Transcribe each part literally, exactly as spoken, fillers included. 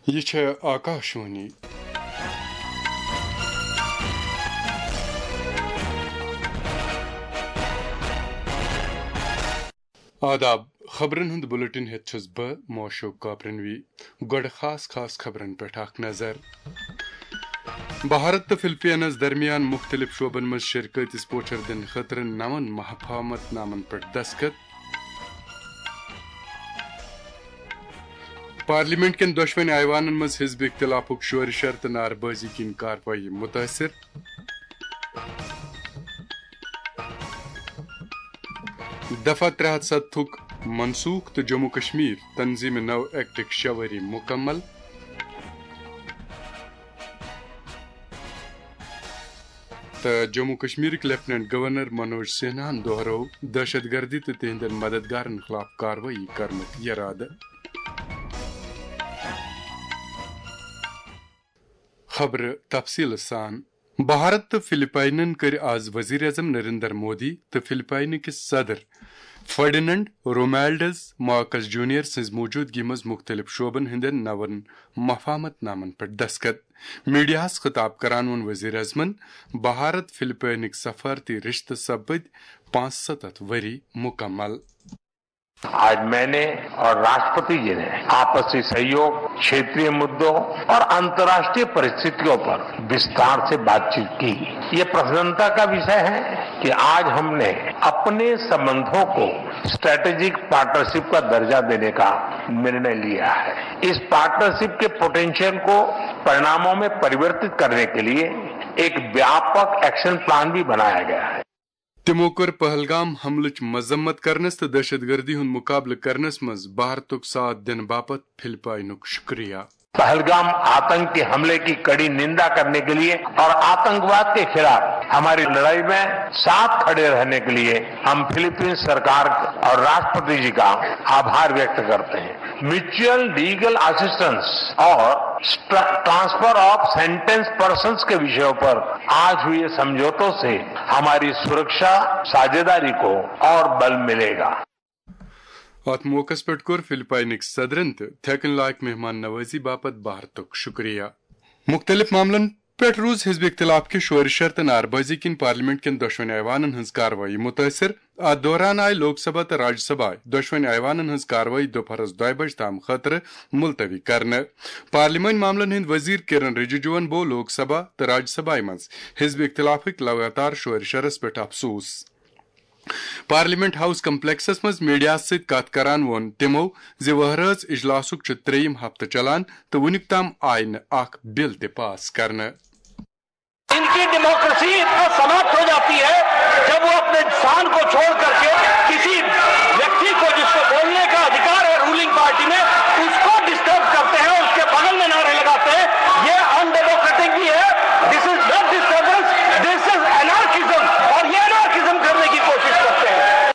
یہِ چھےٚ آکاشوانی۔ آداب، خبرن ہُنٛد بُلٹن ہیٚتھ چھُس بہٕ موشوق کاپرنوی۔ گۄڈٕ خاص خاص خبرن پٮ۪ٹھ اکھ نظر۔ بھارت تہٕ فلپینس درمیان مُختٔلِف شعبن منٛز شراکتٕچ پوچھر دِنہٕ خٲطرٕ نَوَن مفاہمت نامن پٮ۪ٹھ دستخط۔ پارلیمنٹ کٮ۪ن دۄشوٕنی ایوانن منٛز حزب اختلافُک شورٕ شر تہٕ نعرٕ بٲزی کِنۍ کاروٲیی مُتٲثِر۔ دفعہ ترٛےٚ ہتھ ستتھُک منسوخ تہٕ جموں کشمیر تنظیم نو ایکٹٕکۍ شےٚ ؤری مُکمل۔ تہٕ جموں کشمیرٕکۍ لیفٹیننٹ گورنر منوج سنہاہن دوہرٲو دہشت گردی تہٕ تِہنٛدٮ۪ن مددگارن خلاف کاروٲیی کرنُک یرادٕ۔ خبرٕ تفصیٖلہٕ سان۔ بھارت تہٕ فلپائنن کٔرۍ آز وزیر اعظم نریندر مودی تہٕ فلپائنہٕ کِس صدر فرڈیننڈ رومالڈس مارکس جونیئر سٕنٛز موجودگی منٛز مُختٔلِف شعبن ہٕنٛدٮ۪ن نوَن مفاہمت نامن پٮ۪ٹھ دستخط۔ میڈیاہَس خطاب کران ووٚن وزیر اعظمن، بھارت فلپائنٕکۍ سفارتی رشتہٕ سپٕدۍ پانٛژھ ستتھ ؤری مُکمل۔ आज मैंने और राष्ट्रपति जी ने आपसी सहयोग, क्षेत्रीय मुद्दों और अंतर्राष्ट्रीय परिस्थितियों पर विस्तार से बातचीत की। ये प्रसन्नता का विषय है कि आज हमने अपने संबंधों को स्ट्रेटेजिक पार्टनरशिप का दर्जा देने का निर्णय लिया है। इस पार्टनरशिप के पोटेंशियल को परिणामों में परिवर्तित करने के लिए एक व्यापक एक्शन प्लान भी बनाया गया है। تِمو کٔر پہلگام حملٕچ مذمت کرنس تہٕ دہشت گردی ہُنٛد مقابلہٕ کرنس منٛز بھارتُک ساتھ دِنہٕ باپتھ فلپائنُک شُکریہ۔ पहलगाम आतंक के हमले की कड़ी निंदा करने के लिए और आतंकवाद के खिलाफ हमारी लड़ाई में साथ खड़े रहने के लिए हम फिलीपींस सरकार और राष्ट्रपति जी का आभार व्यक्त करते हैं। म्यूचुअल लीगल असिस्टेंस और ट्रांसफर ऑफ सेंटेंस पर्सन्स के विषयों पर आज हुए समझौतों से हमारी सुरक्षा साझेदारी को और बल मिलेगा। اتھ موقعس پٮ۪ٹھ کوٚر فلپائنٕکۍ صدرن تہٕ تھیکن لائق مہمان نوازی باپتھ بھارتُک شُکریہ۔ مُختٔلِف معاملن پٮ۪ٹھ روٗز حزب اختلاف کہِ شورٕ شر تہٕ نعرٕ بٲزی کِنۍ پارلیمنٹ کٮ۪ن دۄشوٕنی ایوانن ہٕنٛز کاروٲیی مُتٲثِر۔ اتھ دوران آیہِ لوک سبھا تہٕ راجیہ سبھا دۄشوٕنی ایوانن ہٕنٛز کاروٲیی دُپہرس دۄیہِ بجہِ تام خٲطرٕ ملتوی کرنہٕ۔ پارلیمانی معاملن ہٕنٛدۍ وزیر کرن رجیجوَن بوو لوک سبھا تہٕ راجیہ سبھایہ منٛز حزب اختلافٕکۍ لگاتار شورٕ شرس پٮ۪ٹھ افسوس۔ پارلیمنٹ ہاؤس کمپلیکسس منٛز میڈیاہَس سۭتۍ کتھ کران ووٚن تِمو زِ وہرٲژ اجلاسُک چھُ ترٛیٚیِم ہفتہٕ چلان تہٕ وُنیُک تام آیہِ نہٕ اکھ بل تہِ پاس کرنہٕ۔ ان کی ڈیموکریسی اتنا سماپت ہو جاتی ہے جب وہ اپنے انسان کو چھوڑ کر کے کسی ویکتی کو، جس کو بولنے کا ادھیکار ہے رولنگ پارٹی میں، اس کو ڈسٹرب کرتے ہیں، اس کے بغل میں نعرے لگاتے ہیں۔ یہ ان ڈیموکریٹک بھی ہے۔ This is not disturbance, this is anarchism. اور یہ انارکزم کرنے کی کوشش کرتے ہیں۔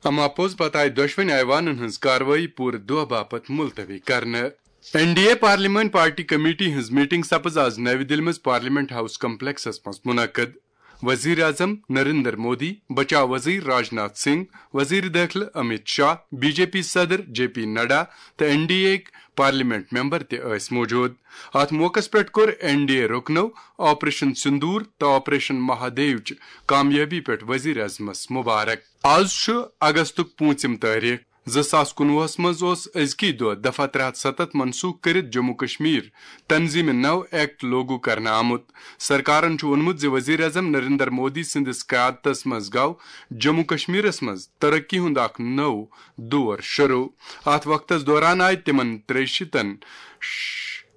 اما پوٚز پتہٕ آیہِ دۄشوٕنی ایوانن ہٕنٛز کاروٲیی پوٗرٕ دۄہ باپتھ ملتوی کرنہٕ۔ این ڈی اے پارلیمانی پارٹی کمیٹی ہٕنٛز میٹنگ سپٕز آز نَوِ دِلہِ منٛز پارلیمنٹ ہاؤس کمپلیکسس منٛز منعقد۔ وزیر اعظم نریندر مودی، بچاو وزیر راجناتھ سنگھ، وزیر دٲخلہٕ Amit Shah, B J P صدر جے پی نڈا تہٕ این ڈی اے ہٕکۍ پارلیمنٹ ممبر تہِ ٲسۍ موجود۔ اتھ موقعس پٮ۪ٹھ کوٚر این ڈی اے رُکنو آپریشن سندور تہٕ آپریشن مہادیوچ کامیٲبی پٮ۪ٹھ وزیر اعظمس مبارک۔ آز چھُ اگستُک پوٗنٛژِم تٲریخ۔ زٕ ساس کُنوُہس منٛز اوس أزکی دۄہ دفعہ ترٛےٚ ہتھ ستتھ منسوخ کٔرِتھ جموں کشمیر تنظیم نو ایکٹ لاگو کرنہٕ آمُت۔ سرکارن چھُ ووٚنمُت زِ وزیر اعظم نریندر مودی سٕنٛدِس قیادتس منٛز گوٚو جموں کشمیرس منٛز ترقی ہُنٛد اکھ نوٚو دور شروع۔ اتھ وقتس دوران آیہِ تِمن ترٛیٚیہِ شیٖتن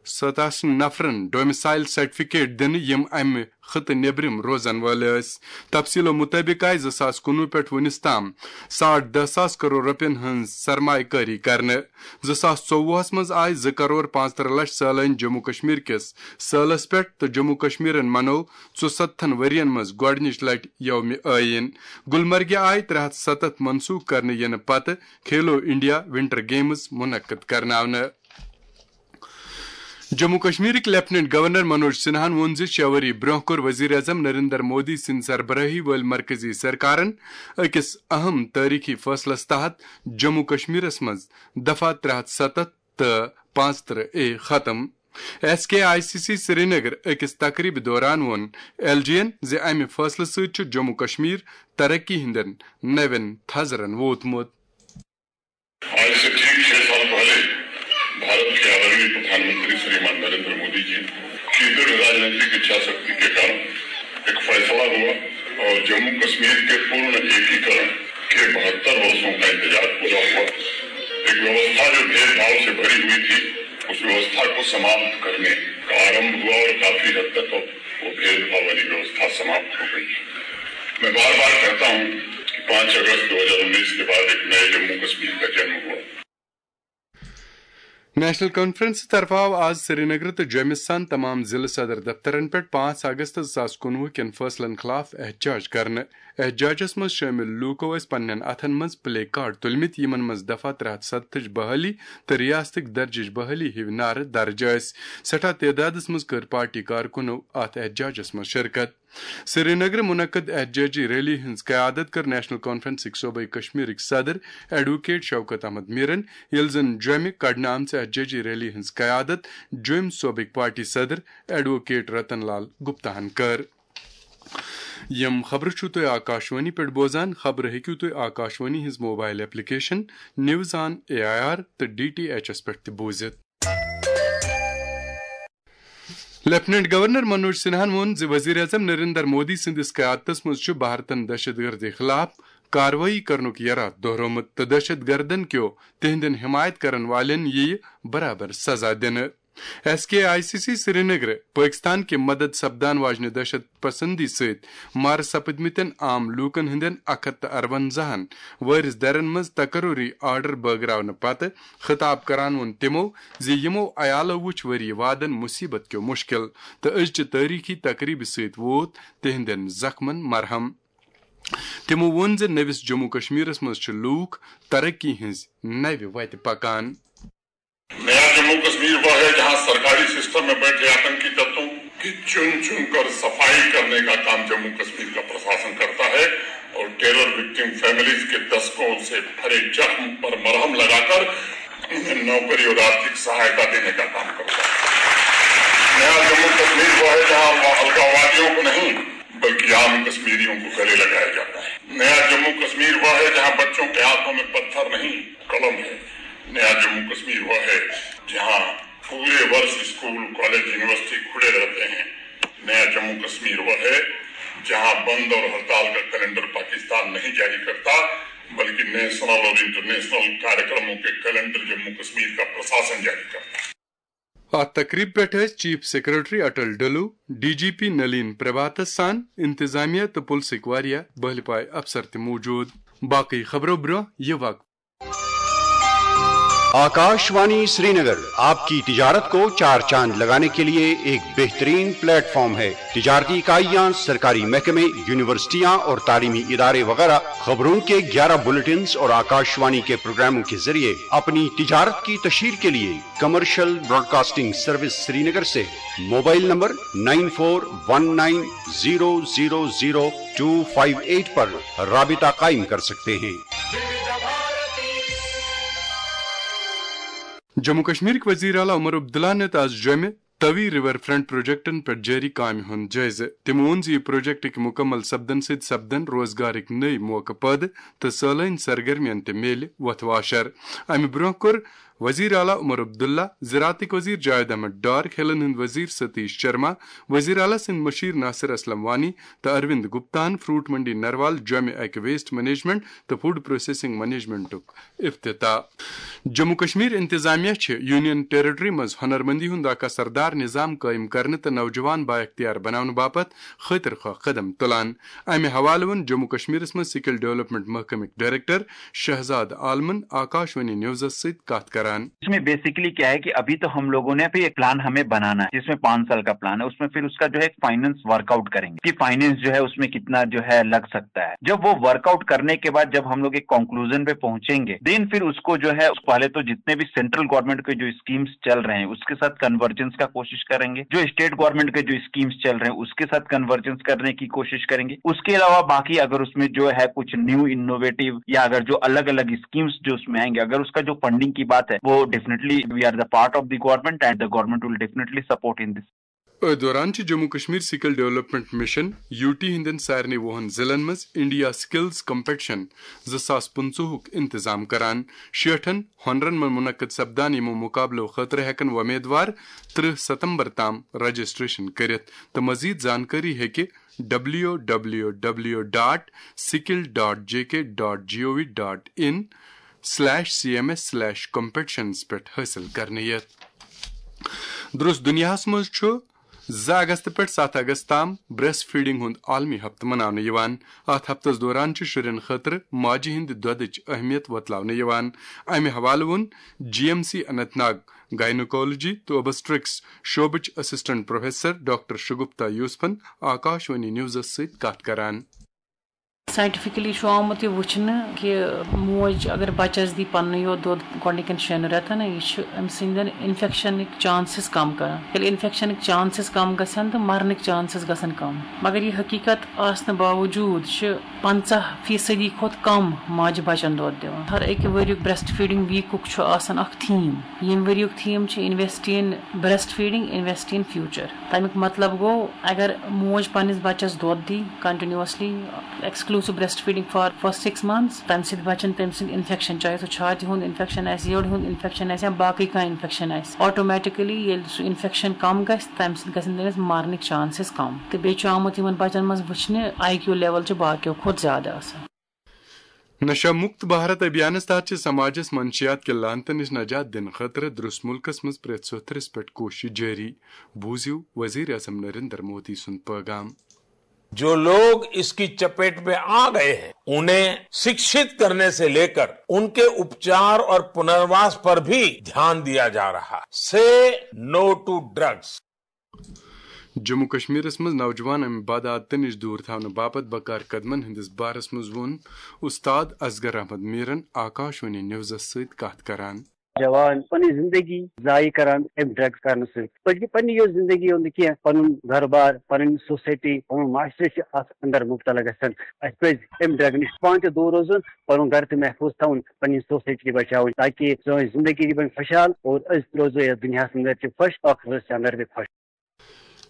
ستاسن نفرن ڈومسائل سرٹیفکیٹ دِنہٕ، یِم امہِ خطہٕ نیبرِم روزن وٲلۍ ٲسۍ۔ تفصیلو مطٲبق آیہِ زٕ ساس کُنوُہ پٮ۪ٹھ وُنِس تام ساڑ دہ ساس کرور رۄپین ہٕنٛز سرمایہ کٲری کرنہٕ۔ زٕ ساس ژوٚوُہس منٛز آیہِ زٕ کرور پانٛژترٕہ لچھ سٲلٲنۍ جموں کشمیر کِس سٲلس پٮ۪ٹھ تہٕ جموں کشمیرن منوو ژُستتھن ؤرین منٛز گۄڈٕنِچ لٹہِ یومِ آئین۔ گلمرگہِ آیہِ ترٛےٚ ہتھ ستتھ منسوخ کرنہٕ یِنہٕ پتہٕ کھیلو انڈیا ونٹر گیمز منعقد کرناونہٕ۔ جموں کشمیرٕکۍ لیفٹیننٹ گورنر منوج سنہاہن ووٚن زِ شےٚ ؤری برٛونٛہہ کوٚر وزیر اعظم نریندر مودی سٕنٛدِ سربرٲہی وٲلۍ مرکزی سرکارن أکِس اہم تٲریخی فٲصلس تحت جموں کشمیرس منٛز دفعہ ترٛےٚ ہتھ ستتھ تہٕ پانٛژترٕہ اے ختم۔ S K I C C Srinagar أکِس تقریبہِ دوران ووٚن ایل جی یَن زِ امہِ فٲصلہٕ سۭتۍ چھُ جموں کشمیر ترقی ہٕنٛدٮ۪ن نوٮ۪ن تھزرن ووتمُت۔ आज से ठीक छह साल पहले भारत के आदरणीय प्रधानमंत्री श्रीमान नरेंद्र मोदी जी की दृढ़ राजनीतिक इच्छा शक्ति के कारण एक फैसला हुआ और जम्मू कश्मीर के पूर्ण एकीकरण के बहत्तर वर्षों का इंतजार पूरा हुआ। एक व्यवस्था जो भेदभाव से भरी हुई थी, उस व्यवस्था को समाप्त करने का आरंभ हुआ और काफी हद तक अब वो भेदभाव वाली व्यवस्था समाप्त हो गई है। मैं बार बार कहता हूँ कि पाँच अगस्त दो हज़ार उन्नीस के बाद एक नए जम्मू कश्मीर का जन्म हुआ। نیشنل کانفرنس طرفہٕ آو آز سرینگر تہٕ جوٚمہِ سان تمام ضلع صدر دفترن پٮ۪ٹھ پانٛژھ اگست زٕ ساس کُنوُہ کٮ۪ن فٲصلن خلاف احتجاج کرنہٕ۔ احتجاجس منٛز شٲمِل لوٗکو ٲسۍ پننٮ۪ن اتھن منٛز پلے کارڈ تُلمٕتۍ، یِمن منٛز دفعہ ترٛےٚ ہتھ ستتھٕچ بحالی تہٕ ریاستٕکۍ درجٕچ بحالی ہِوۍ نعرٕ درج ٲسۍ۔ سٮ۪ٹھاہ تعدادس منٛز کٔر پارٹی کارکُنو اتھ احتجاجس منٛز شرکت۔ سرینگرٕ منعقد احتجاجی ریلی ہٕنٛز قیادت کٔر نیشنل کانفرنسٕکۍ صوبٲئی کشمیرٕکۍ صدر ایڈووکیٹ شوکت احمد میرن، ییٚلہِ زن جوٚمہِ کڑنہٕ آمژِ احتجاجی ریلی ہٕنٛز قیادت جوٚمۍ صوبٕکۍ پارٹی صدر ایڈووکیٹ رتن لال گپتاہن کٔر۔ یِم خبرٕ چھِو تُہۍ آکاشوانی پٮ۪ٹھ بوزان۔ خبرٕ ہیٚکِو تُہۍ آکاشوانی ہٕنٛز mobile application news on A I R تہٕ ڈی ٹی ایچ ایس پٮ۪ٹھ تہِ بوٗزِتھ۔ لیفٹیننٹ گورنر منوج سنہاہن ووٚن زِ وزیر اعظم نریندر مودی سٕنٛدِس قیادتس منٛز چھُ بھارتن دہشت گردی خلاف کاروٲیی کرنُک یرادٕ دۄہرومُت تہٕ دہشت گردن کیو تِہنٛدٮ۪ن حمایت کرن والٮ۪ن یِیہِ برابر سزا دِنہٕ۔ S K I C C Srinagar Pakistan کہِ مدد سپدان واجنہِ دہشت پسندی سۭتۍ مارٕ سپٕدمٕتٮ۪ن عام لوٗکن ہٕنٛدٮ۪ن اکھ ہتھ تہٕ ارونزاہن وٲرِث درن منٛز تقرری آرڈر بٲگراونہٕ پتہٕ خطاب کران ووٚن تِمو زِ یِمو عیالو وُچھ ؤری وادن مصیبت کیو مشکل تہٕ أزچہِ تٲریخی تقریبہِ سۭتۍ ووت تِہنٛدٮ۪ن زخمن مرہم۔ تِمو ووٚن زِ نٔوِس جموں کشمیرس منٛز چھِ لوٗکھ ترقی ہٕنٛز نوِ وتہِ پکان۔ नया जम्मू कश्मीर वह है जहां सरकारी सिस्टम में बैठे आतंकी तत्वों की चुन चुन कर सफाई करने का काम जम्मू कश्मीर का प्रशासन करता है और टेरर विक्टिम फैमिलीज के दशकों से भरे जख्म पर मरहम लगाकर उन्हें नौकरी और आर्थिक सहायता देने का काम करता है। नया जम्मू कश्मीर वह है जहां अलगाववादियों को नहीं बल्कि आम कश्मीरियों को गले लगाया जाता है। नया जम्मू कश्मीर वह है जहां बच्चों के हाथों में पत्थर नहीं कलम है। नया जम्मू कश्मीर वह है जहां पूरे वर्ष स्कूल, कॉलेज, यूनिवर्सिटी खुले रहते हैं। नया जम्मू कश्मीर वह है जहां बंद और हड़ताल का कैलेंडर पाकिस्तान नहीं जारी करता बल्कि नेशनल और इंटरनेशनल कार्यक्रमों के कैलेंडर जम्मू कश्मीर का प्रशासन जारी करता है। اتھ تقریبہِ پٮ۪ٹھ ٲسۍ chief secretary Atal Dulloo, D G P Nalin پربھاتس سان انتظامیہ تہٕ پُلسٕکۍ واریاہ بہلہِ پایہِ افسر تہِ موجود۔ باقٕے خبرو برٛونٛہہ یہِ وقفہٕ۔ आकाशवाणी श्रीनगर आपकी तिजारत को चार चांद लगाने के लिए एक बेहतरीन प्लेटफॉर्म है। तिजारती इकाइयां, सरकारी महकमे, यूनिवर्सिटियां और तालीमी इदारे वगैरह खबरों के ग्यारह बुलेटिन्स और आकाशवाणी के प्रोग्रामों के जरिए अपनी तिजारत की तशहीर के लिए कमर्शियल ब्रॉडकास्टिंग सर्विस श्रीनगर से mobile number nine four one nine zero zero zero two five eight पर राबिता कायम कर सकते हैं। جموں کشمیرٕکۍ وزیر اعلیٰ عمر عبداللہ نِتھ آز جوٚمہِ توی ریور فرنٹ پروجیکٹن پٮ۪ٹھ جٲری کامہِ ہُنٛد جٲیزٕ۔ تٔمۍ ووٚن زِ یہِ پروجیکٹٕکۍ مُکمل سپدن سۭتۍ سپدن روزگارٕکۍ نٔوۍ موقعہٕ پٲدٕ تہٕ سٲلٲنۍ سرگرمین تہِ میلہِ وۄتھٕ واشر۔ امہِ برٛونٛہہ کوٚر وزیر اعلیٰ عمر عبداللہ، زراعتٕکۍ وزیر جاوید احمد ڈار، کھیلن ہٕنٛدۍ وزیر ستیش شرما، وزیر اعلیٰ سٕنٛدۍ مشیر ناصر اسلم وانی تہٕ اروند گپتاہن فروٹ منڈی نروال جوٚمہِ اکہِ ویسٹ مینجمنٹ تہٕ فوڈ پروسیسنگ مینجمنٹُک افتتاح۔ جموں کشمیر انتظامیہ چھِ یونین ٹیریٹری منٛز ہنرمندی ہُنٛد اکھ اثردار نظام قٲیِم کرنہٕ تہٕ نوجوان بااختیار بناونہٕ باپتھ خٲطر خواہ قدم تُلان۔ امہِ حوالہٕ ووٚن جموں کشمیرس منٛز سکل ڈیولپمنٹ محکمٕکۍ ڈائریکٹر شہزاد عالمن آکاشوانی نیوزس سۭتۍ کتھ کران۔ اس میں بیسیکلی کیا ہے کہ ابھی تو ہم لوگوں نے بھی ایک پلان ہمیں بنانا ہے، جس میں پانچ سال کا پلان ہے، اس میں پھر اس کا جو ہے ایک فائنانس ورک آؤٹ کریں گے کہ فائنانس جو ہے اس میں کتنا جو ہے لگ سکتا ہے۔ جب وہ ورک آؤٹ کرنے کے بعد جب ہم لوگ ایک کنکلوژن پہ پہنچیں گے، دین پھر اس کو جو ہے پہلے تو جتنے بھی سینٹرل گورنمنٹ کے جو اسکیمز چل رہے ہیں اس کے ساتھ کنورجنس کا کوشش کریں گے، جو اسٹیٹ گورنمنٹ کے جو اسکیمز چل رہے ہیں اس کے ساتھ کنورجنس کرنے کی کوشش کریں گے۔ اس کے علاوہ باقی اگر اس میں جو ہے کچھ نیو انوویٹو یا اگر جو الگ الگ اسکیمز جو اس میں آئیں گے، اگر اس کا جو فنڈنگ کی بات ہے، وہ definitely we are the part of the government and the government will definitely support in this. أتھۍ دوران چھِ Jammu Kashmir skill development mission, U T, ہٕنٛدٮ۪ن سارنٕے وُہن ضلعن منٛز انڈیا سکلز کمپٹیشن زٕ ساس پٕنٛژٕہُک انتظام کران۔ شیٹھن ہُنرن منٛز منعقد سپدان یِمو مقابلو خٲطرٕ ہٮ۪کن وۄمیدوار ترٕہ ستمبر تام رجسٹریشن کٔرِتھ، تہٕ مزید زانکٲری ہیٚکہِ W W W dot skill dot J K dot G O V dot in slash C M S slash competitions پٮ۪ٹھ حٲصِل کرنہٕ یِتھ۔ درست دُنیاہَس منٛز چھُ زٕ اگست پٮ۪ٹھ ستھ اگست تام بریسٹ فیڈنگ ہُنٛد عالمی ہفتہٕ مناونہٕ یِوان۔ اَتھ ہفتس دوران چھِ شُرٮ۪ن خٲطرٕ ماجہِ ہٕنٛدِ دۄدٕچ اہمیت وۄتلاونہٕ یِوان۔ امہِ حوالہٕ ووٚن G M C Anant Nag gynaecology تہٕ اوبسٹرکس شعبٕچ اسسٹنٹ پروفیسر ڈاکٹر شگپتا یوسفن آکاش وانی نیوزس سۭتۍ کتھ کران۔ ساینٹیفکلی چھُ آمُت یہِ وٕچھنہٕ کہِ موج اگر بچس دی پننُے یوت دۄد گۄڈنِکٮ۪ن شٮ۪ن رٮ۪تن، یہِ چھُ أمۍ سٕنٛدٮ۪ن انفیکشنٕکۍ چانسز کم کران۔ ییٚلہِ انفیکشنٕکۍ چانسز کم گژھن تہٕ مرنٕکۍ چانسز گژھن کم۔ مگر یہِ حقیقت آسنہٕ باوجود چھِ پنژاہ فیصدی کھۄتہٕ کم ماجہِ بچن دۄد دِوان۔ ہر أکہِ ؤریُک بریسٹ فیڈنگ ویکُک چھُ آسان اکھ تھیم۔ ییٚمہِ ؤریُک تھیم چھُ Invest in Breast Feeding, Invest in Future. تَمیُک مطلب گوٚو، اگر موج پننِس بچس دۄد دی continuously, exclusive breastfeeding for first six months، تمہِ سۭتۍ بچن تٔمۍ سٕنٛدۍ انفیکشن، چاہے سُہ چھاتہِ ہُنٛد انفیکشن آسہِ، یٔڈ ہُنٛد انفیکشن آسہِ یا باقٕے کانٛہہ انفیکشن آسہِ، آٹومیٹکلی ییٚلہِ سُہ انفیکشن کم گژھِ، تمہِ سۭتۍ گژھن تٔمِس مرنٕکۍ چانسز کم۔ تہٕ بیٚیہِ چھُ آمُت یِمن بچن منٛز وٕچھنہٕ آئی کیو لیول چھُ باقیو کھۄتہٕ زیادٕ آسان۔ نشہ مکت بھارت ابھیانس تحت چھِ سماجس منشیات کہِ لعنتہٕ نِش نجات دِنہٕ خٲطرٕ درس ملکس منٛز پرٛٮ۪تھ سوٚتھرس پٮ۪ٹھ کوٗشش جٲری۔ بوٗزِو وزیر اعظم نریندر مودی سُنٛد پٲغام۔ जो लोग इसकी चपेट में आ गए हैं, उन्हें शिक्षित करने से लेकर उनके उपचार और पुनर्वास पर भी ध्यान दिया जा रहा है। Say no to drugs. Jammu کشمیرس منٛز نوجوان امہِ بدعادتہٕ نِش دوٗر تھاونہٕ باپتھ بکار قدمن ہٕنٛدِس بارس منٛز ووٚن استاد اصغر احمد میرن آکاش وانی نیوزس سۭتۍ کتھ کران۔ جوان پنٕنۍ زندگی ضایع کران امہِ ڈرگس کرنہٕ سۭتۍ۔ بلکہِ پننہِ یوت زندگی ہُنٛد نہٕ کینٛہہ، پنُن گرٕ بار، پنٕنۍ سوسایٹی، پنُن معاشرٕ چھِ اتھ اندر مبتلا گژھان۔ اسہِ پزِ امہِ ڈرگہٕ نِش پانہٕ تہِ دوٗر روزُن، پنُن گرٕ تہِ محفوظ تھاوُن، پنٕنۍ سوسایٹی تہِ بچاوٕنۍ، تاکہِ سٲنۍ زندگی تہِ بنہِ خۄشحال اور أسۍ تہِ روزو یتھ دُنیاہس اندر تہِ خۄش، ٲخرتس تہِ اندر تہِ خۄش۔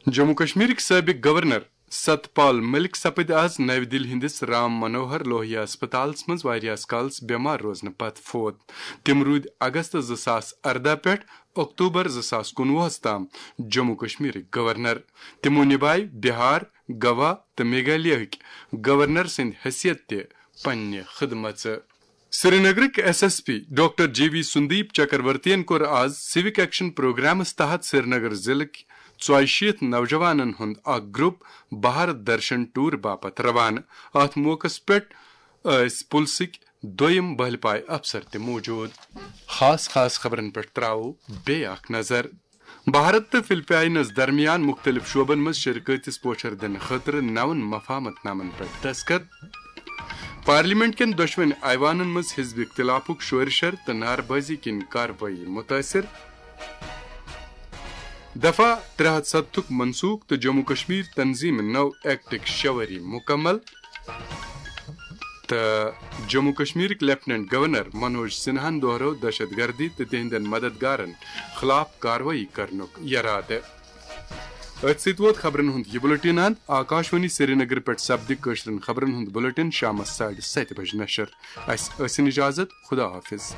جموں کشمیرٕکۍ سٲبق گورنر ستپال ملک سپٕدۍ آز نَوِ دِلہِ ہٕنٛدِس رام منوہر لوہیا ہسپتالس منٛز واریاہس کالس بٮ۪مار روزنہٕ پتہٕ فوت۔ تِم روٗدۍ اگست زٕ ساس ارداہ پٮ۪ٹھ اکتوبر زٕ ساس کُنوُہس تام جموں کشمیرٕکۍ گورنر۔ تِمو نِبایہِ بہار، گوا تہٕ میگھالیہٕکۍ گورنر سٕنٛدِ حیثیت تہِ پننہِ خدمژٕ۔ سرینگرٕکۍ S S P doctor J V Sandeep چکرورتین کوٚر آز سیوک ایکشن پروگرامس تحت سرینگر ضلعٕکۍ ژۄیہِ شیٖتھ نوجوانن ہُنٛد اکھ گروپ بھارت درشن ٹور باپتھ روانہٕ۔ اتھ موقعس پٮ۪ٹھ ٲسۍ پُلسٕکۍ دوٚیِم بہلہِ پایہِ افسر تہِ موجود۔ خاص خاص خبرن پٮ۪ٹھ تراوو بیٚیہِ اکھ نظر۔ بھارت تہٕ فلپائنس درمیان مُختٔلِف شعبن منٛز شراکتس پوچھر دِنہٕ خٲطرٕ نَوَن مفاہمت نامن پٮ۪ٹھ دستخط۔ پارلیمنٹ کٮ۪ن دۄشوٕنی ایوانن منٛز حزب اختلافُک شورشر تہٕ نعرٕ بٲزی کِنۍ کاروٲیی مُتٲثر۔ دفعہ ترٛےٚ ہتھ ستتھُک منسوخ تہٕ جموں کشمیر تنظیم نو ایکٹٕکۍ شےٚ ؤری مُکمل۔ تہٕ جموں کشمیرٕکۍ لیفٹیننٹ گورنر منوج سنہاہن دوہرٲو دہشت گردی تہٕ تِہنٛدٮ۪ن مددگارن خلاف کاروٲیی کرنُک یرادٕ۔ أتھۍ سۭتۍ ووت خبرن ہُنٛد یہِ بُلٹن اند۔ آکاش وانی سرینگر پٮ۪ٹھ سپدِ کٲشرٮ۪ن خبرن ہُنٛد بُلٹن شامس ساڑِ ستہِ بجہِ نشر۔ اسہِ ٲسِن اجازت، خدا حافظ۔